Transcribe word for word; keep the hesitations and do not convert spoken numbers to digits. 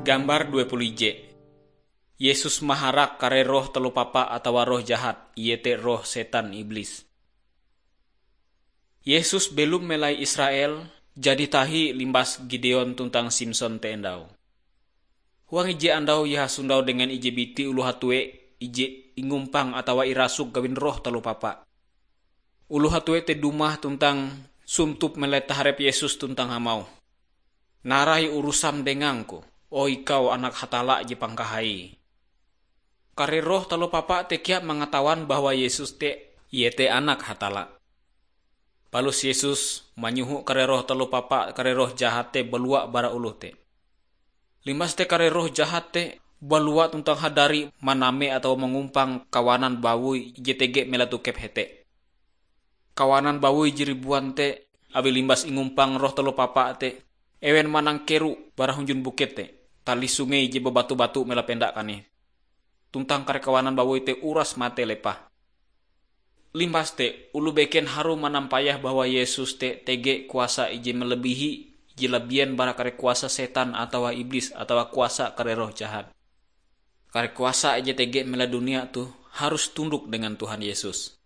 Gambar dua puluh ije. Yesus maharak kare roh taloh papa atawa roh jahat, iete roh setan iblis. Yesus belom melai Israel jadi tahi limbas Gideon tuntang Simson te endau. Huang ije andau Ie hasondau dengan ije biti oloh hatue ije ingumpang atawa irasuk gawin roh taloh papa. Oloh hatue te dumah tuntang suntup melai taharep Yesus tuntang hamauh, "Narai urusam dengangku, o Ikau Anak Hatalla je pangkahai." Kare roh taloh papa te kea mangatawan bahwa Yesus te iete Anak Hatalla. Palus Yesus manyoho kare roh taloh papa, kare roh jahat te balua bara oloh te. Limbas te kare roh jahat te balua tuntang hadari maname atawa mangumpang kawanan bawoi je tege melai tokep hete. Kawanan bawoi je ribuan te, awi limbas ingumpang roh taloh papa te, ewen manangkero bara hunjun bukit te, tali sungei je babatu-batu melai penda kanih. Tuntang kare kawanan bawoi te uras mate lepah. Limbas te, oloh beken harue manampayah bahwa Yesus te tege kuasa ije malebihi ije labien bara kare kuasa setan atawa iblis atawa kuasa kare roh jahat. Kare kuasa ije tege melai dunia toh harus tundok dengan Tuhan Yesus.